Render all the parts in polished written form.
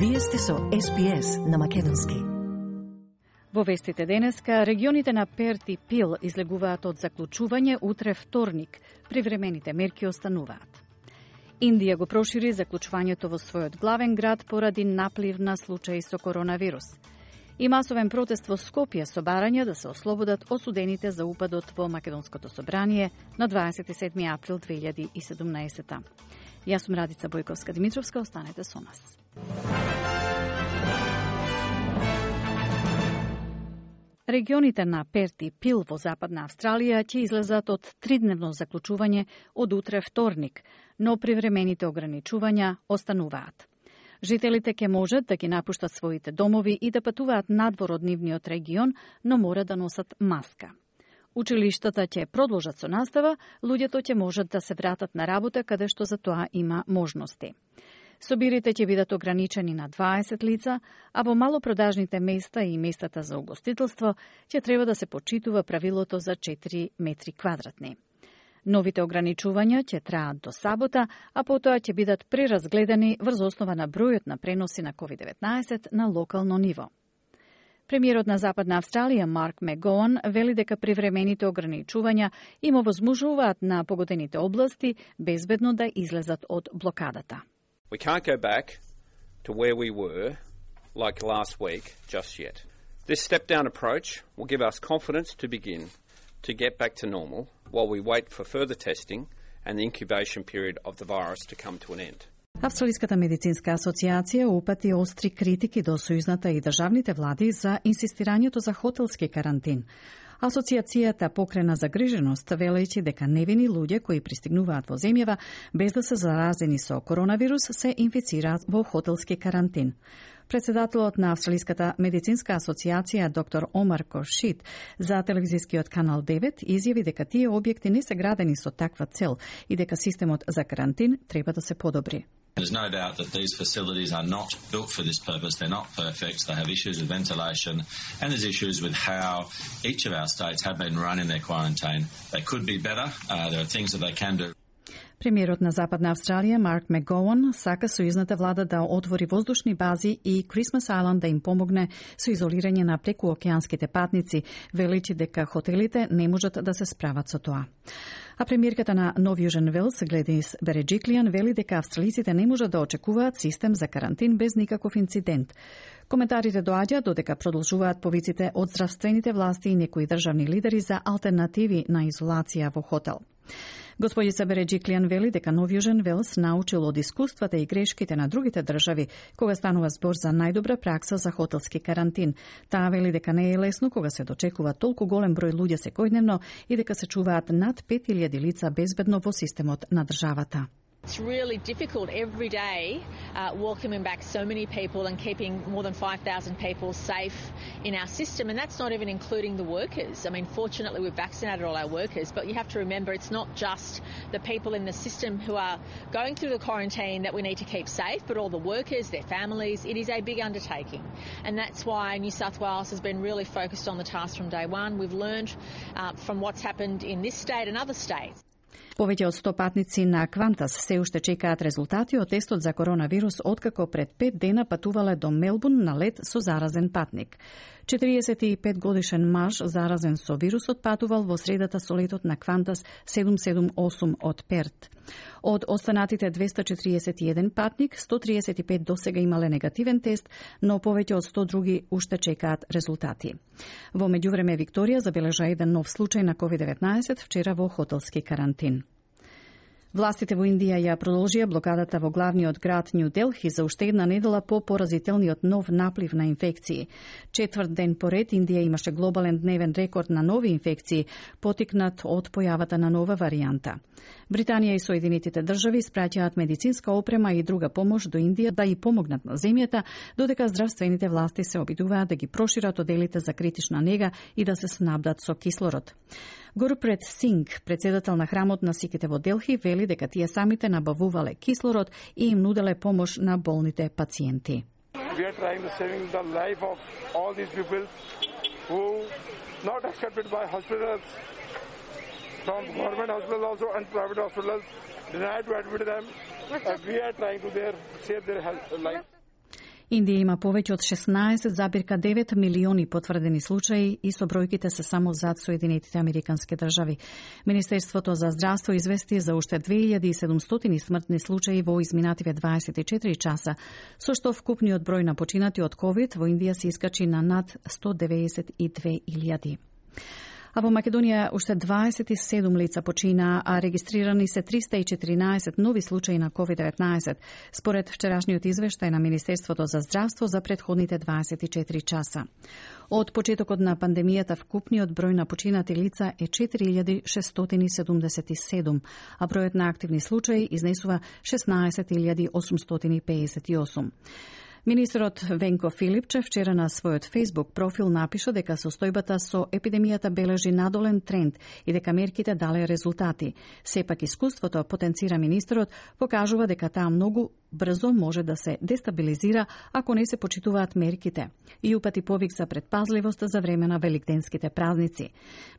Вие сте со SPS на македонски. Во вестите денеска, регионите на Перт и Пил излегуваат од заклучување утре вторник. Привремените мерки остануваат. Индија го прошири заклучувањето во својот главен град поради наплив на случаи со коронавирус. И масовен протест во Скопје со барање да се ослободат осудените за упадот во Македонското собрание на 27. април 2017. Јас сум Радица Бојковска-Димитровска, останете со нас. Регионите на Перт и Пил во Западна Австралија ќе излезат од тридневно заклучување од утре вторник, но привремените ограничувања остануваат. Жителите ќе можат да ги напуштат своите домови и да патуваат надвор од нивниот регион, но мора да носат маска. Училиштата ќе продолжат со настава, луѓето ќе можат да се вратат на работа каде што за тоа има можности. Собирите ќе бидат ограничени на 20 лица, а во малопродажните места и местата за угостителство ќе треба да се почитува правилото за 4 метри квадратни. Новите ограничувања ќе траат до сабота, а потоа ќе бидат преразгледани врз основа на бројот на преноси на COVID-19 на локално ниво. Премиерот на Западна Австралија Марк Мегоан вели дека привремените ограничувања им овозможуваат на погодените области безбедно да излезат од блокадата. We can't go back to where we were like last week just yet. This step-down approach will give us confidence to begin to get back to normal while we wait for further testing and the incubation period of the virus to come to an end. Австралиската медицинска асоциација упати остри критики до сојузната и државните влади за инсистирањето за хотелски карантин. Асоциацијата покрена загриженост, велејќи дека невини луѓе кои пристигнуваат во земјава без да се заразени со коронавирус се инфицираат во хотелски карантин. Председателот на Австралиската медицинска асоциација доктор Омар Кошит за телевизискиот канал 9 изјави дека тие објекти не се градени со таква цел и дека системот за карантин треба да се подобри. There's no doubt that these facilities are not built for this purpose. They're not perfect. They have issues with ventilation, and there's issues with how each of our states have been running their quarantine. They could be better. There are things that they can do. Премиерот на Западна Австралија Марк Мегоан сака сојузната влада да отвори воздушни бази и Крисмас Ајланд да им помогне со изолирање на прекуокеанските патници, велејќи дека хотелите не можат да се справат со тоа. А премиерката на Нов Јужен Велс, Гледис Береджиклијан, вели дека австралиците не можат да очекуваат систем за карантин без никаков инцидент. Коментарите доаѓаат додека продолжуваат повиците од здравствените власти и некои државни лидери за алтернативи на изолација во хотел. Господица Береджиклијан вели дека Нов Јужен Велс научил од искуствата и грешките на другите држави кога станува збор за најдобра пракса за хотелски карантин. Таа вели дека не е лесно кога се дочекува толку голем број луѓе секојдневно и дека се чуваат над 5000 лица безбедно во системот на државата. It's really difficult every day welcoming back so many people and keeping more than 5,000 people safe in our system, and that's not even including the workers. I mean, fortunately we've vaccinated all our workers, but you have to remember it's not just the people in the system who are going through the quarantine that we need to keep safe, but all the workers, their families. It is a big undertaking, and that's why New South Wales has been really focused on the task from day one. We've learned from what's happened in this state and other states. Повеќе од 100 патници на Квантас се уште чекаат резултати од тестот за коронавирус откако пред 5 дена патувале до Мелбурн на лет со заразен патник. 45 годишен маж заразен со вирусот патувал во средата со летот на Квантас 778 од Перт. Од останатите 241 патник, 135 досега имале негативен тест, но повеќе од 100 други уште чекаат резултати. Во меѓувреме Викторија забележа еден нов случај на COVID-19 вчера во хотелски карантин. Властите во Индија ја продолжија блокадата во главниот град Нью Делхи за уште една недела по поразителниот нов наплив на инфекции. Четврт ден поред Индија имаше глобален дневен рекорд на нови инфекции, потикнат од појавата на нова варијанта. Британија и Соединетите држави испраќаат медицинска опрема и друга помош до Индија да ја помогнат на земјата, додека здравствените власти се обидуваат да ги прошират оделите за критична нега и да се снабдат со кислород. Гурпрет Синг, председател на храмот на сиките во Делхи, вели дека тие самите набавувале кислород и им нуделе помош на болните пациенти. We are trying to save the life of all these people who not accepted by hospitals, from government hospitals also and private hospitals, denied to admit them. We are trying to save their life. Индија има повеќе од 16,9 милиони потврдени случаи и со бројките се само зад Соединетите Американски држави. Министерството за здравство извести за уште 2700 смртни случаи во изминативе 24 часа, со што вкупниот број на починати од COVID во Индија се искачи на над 192.000. А во Македонија уште 27 лица почина, а регистрирани се 314 нови случаи на COVID-19, според вчерашниот извештај на Министерството за здравство за претходните 24 часа. Од почетокот на пандемијата вкупниот број на починати лица е 4677, а бројот на активни случаи изнесува 16858. Министерот Венко Филипче вчера на својот Facebook профил напиша дека состојбата со епидемијата бележи надолен тренд и дека мерките дале резултати. Сепак искуството, потенцира министерот, покажува дека таа многу брзо може да се дестабилизира ако не се почитуваат мерките и упати повик за предпазливост за време на великденските празници.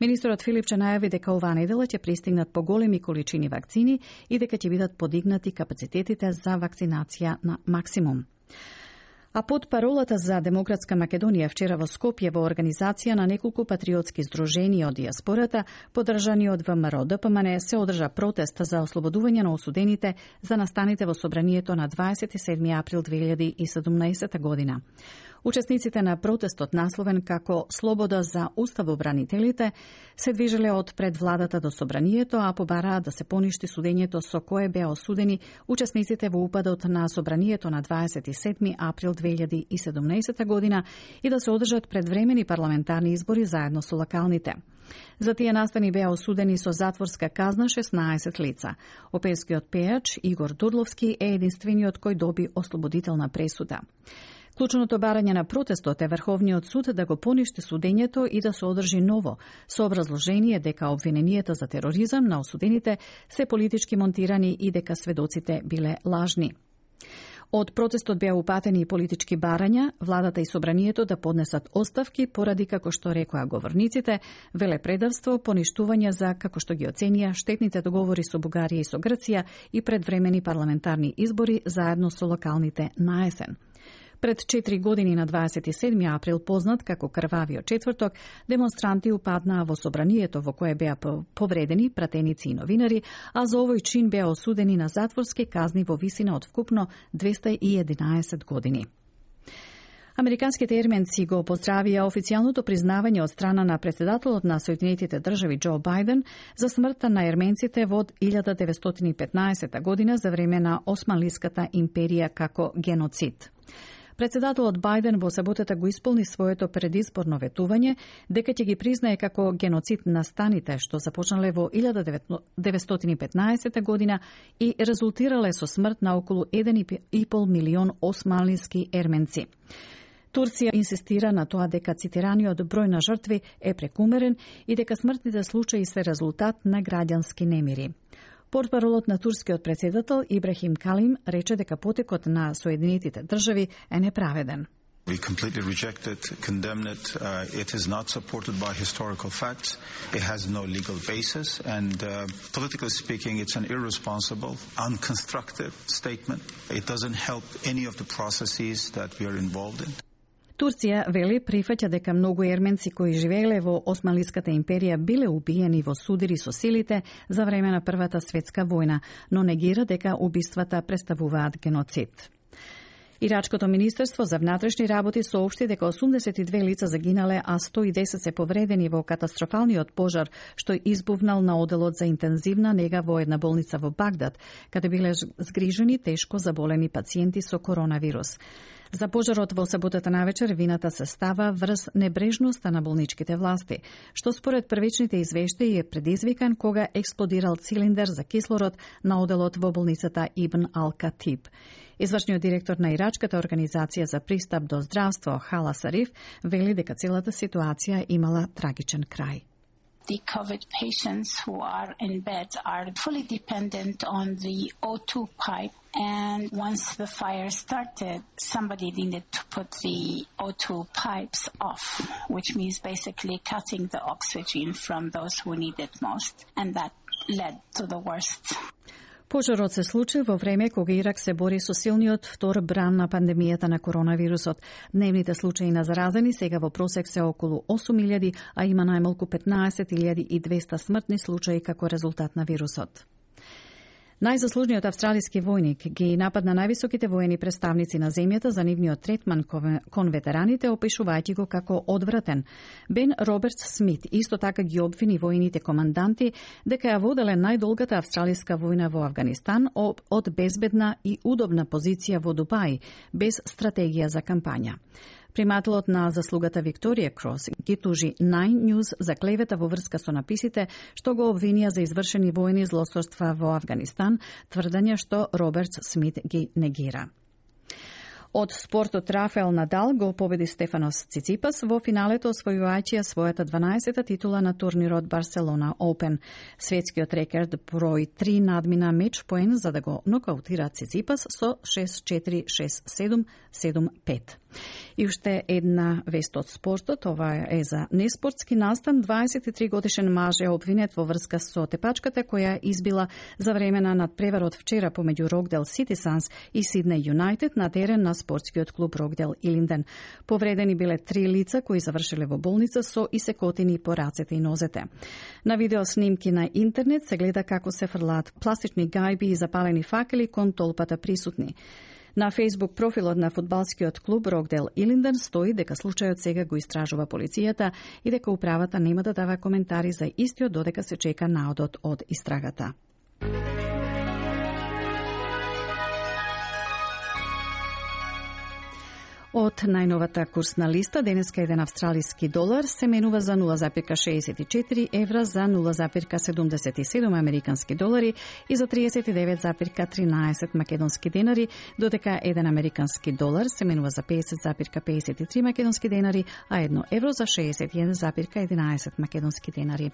Министерот Филипче најави дека оваа недела ќе пристигнат поголеми количини вакцини и дека ќе бидат подигнати капацитетите за вакцинација на максимум. А под паролата за Демократска Македонија вчера во Скопје во организација на неколку патриотски здруженија од диаспората, поддржани од ВМРО ДПМН, се одржа протест за ослободување на осудените за настаните во собранието на 27 април 2017 година. Учесниците на протестот, насловен како Слобода за уставобранителите, се движеле од пред владата до собранието, а побараа да се поништи судењето со кое беа осудени учесниците во упадот на собранието на 27 април 2017 година и да се одржат предвремени парламентарни избори заедно со локалните. За тие настани беа осудени со затворска казна 16 лица. Оперскиот пејач Игор Дурловски е единствениот кој доби ослободителна пресуда. Клучното барање на протестот е Врховниот суд да го поништи судењето и да се одржи ново, со образложение дека обвиненијата за тероризам на осудените се политички монтирани и дека сведоците биле лажни. Од протестот беа упатени и политички барања, владата и собранието да поднесат оставки поради, како што рекоа говорниците, велепредавство, поништување за, како што ги оценија, штетните договори со Бугарија и со Грција и предвремени парламентарни избори заедно со локалните на есен. Пред 4 години на 27 април, познат како Крвавиот четврток, демонстранти упаднаа во собранието во кое беа повредени пратеници и новинари, а за овој чин беа осудени на затворски казни во висина од вкупно 211 години. Американските ерменци го поздравија официјалното признавање од страна на претседателот на Соединетите држави Џо Бајден за смртта на ерменците во 1915 година за време на Османлиската империја како геноцид. Председателот Бајден во саботата го исполни своето предизборно ветување дека ќе ги признае како геноцид настаните што започнале во 1915 година и резултирале со смрт на околу 1,5 милион османлиски ерменци. Турција инсистира на тоа дека цитираниот број на жртви е прекумерен и дека смртните случаи се резултат на граѓански немири. Портпаролот на турскиот претседател Ибрахим Калим рече дека потекот на Соединетите држави е неправеден. We completely reject it, condemn it. It is not supported by historical facts. It has no legal basis. And politically speaking, it's an irresponsible, unconstructive statement. It doesn't help any of the processes that we are involved in. Турција, вели, прифаќа дека многу ерменци кои живееле во Османлиската империја биле убиени во судири со силите за време на Првата светска војна, но негира дека убиствата представуваат геноцид. Ирачкото министерство за внатрешни работи соопшти дека 82 лица загинале, а 110 се повредени во катастрофалниот пожар што избувнал на оделот за интензивна нега во една болница во Багдад, каде биле згрижени тешко заболени пациенти со коронавирус. За пожарот во саботата навечер вината се става врз небрежноста на болничките власти, што според првичните извештаи е предизвикан кога експлодирал цилиндер за кислород на оделот во болницата Ибн Ал-Катиб. Извршниот директор на ирачката организација за пристап до здравство Хала Сариф вели дека целата ситуација имала трагичен крај. The COVID patients who are in bed are fully dependent on the O2 pipe, and once the fire started, somebody needed to put the O2 pipes off, which means basically cutting the oxygen from those who need it most, and that led to the worst. Пожарот се случи во време кога Ирак се бори со силниот втор бран на пандемијата на коронавирусот. Дневните случаи на заразени сега во просек се околу 8.000, а има најмалку 15.200 смртни случаи како резултат на вирусот. Најзаслужниот австралиски војник ги нападна највисоките воени представници на земјата за нивниот третман кон ветераните, опишувајќи го како одвратен. Бен Робертс Смит исто така ги обвини војните команданти дека ја воделе најдолгата австралиска војна во Авганистан од безбедна и удобна позиција во Дубај, без стратегија за кампања. Примателот на заслугата Викторија Крос ги тужи Nine News за клевета во врска со написите што го обвинија за извршени војни злосторства во Авганистан, тврдење што Робертс Смит ги негира. Од спортот Рафаел Надал го победи Стефанос Циципас во финалето, освојувајќи својата 12-та титула на турнирот Барселона Open. Светскиот рекорд број 3 надмина меч поен за да го нокаутира Циципас со 6-4, 6-7, 7-5. И уште една вест од спортот, ова е за неспортски настан. 23 годишен маж е обвинет во врска со тепачката која избила за време на надпреварот вчера помеѓу Рокдел Сити Санс и Сиднеј Юнајтед на терен на спортскиот клуб Рокдел Илинден. Повредени биле 3 лица кои завршиле во болница со исекотини по рацете и нозете. На видео снимки на интернет се гледа како се фрлаат пластични гајби и запалени факели кон толпата присутни. На Facebook профилот на фудбалскиот клуб Рокдел Илинден стои дека случајот сега го истражува полицијата и дека управата нема да дава коментари за истиот додека се чека наодот од истрагата. Од најновата курсна листа, денеска еден австралиски долар се менува за 0,64 евра, за 0,77 американски долари и за 39,13 македонски денари, додека еден американски долар се менува за 50,53 македонски денари, а 1 евро за 61,11 македонски денари.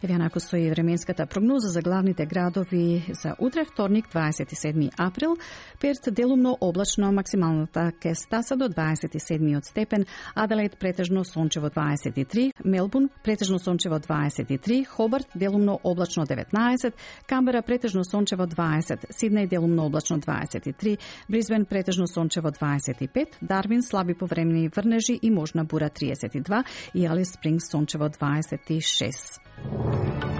Еве онако стои временската прогноза за главните градови за утре, вторник, 27 април. Перт делумно облачно, максималната ке стаса до 27 степен, Аделаид претежно сончево 23, Мелбурн претежно сончево 23, Хобарт делумно облачно 19, Камбера претежно сончево 20, Сиднеј делумно облачно 23, Брисбен претежно сончево 25, Дарвин слаби повремени врнежи и можна бура 32 и Алис Спрингс сончево 26.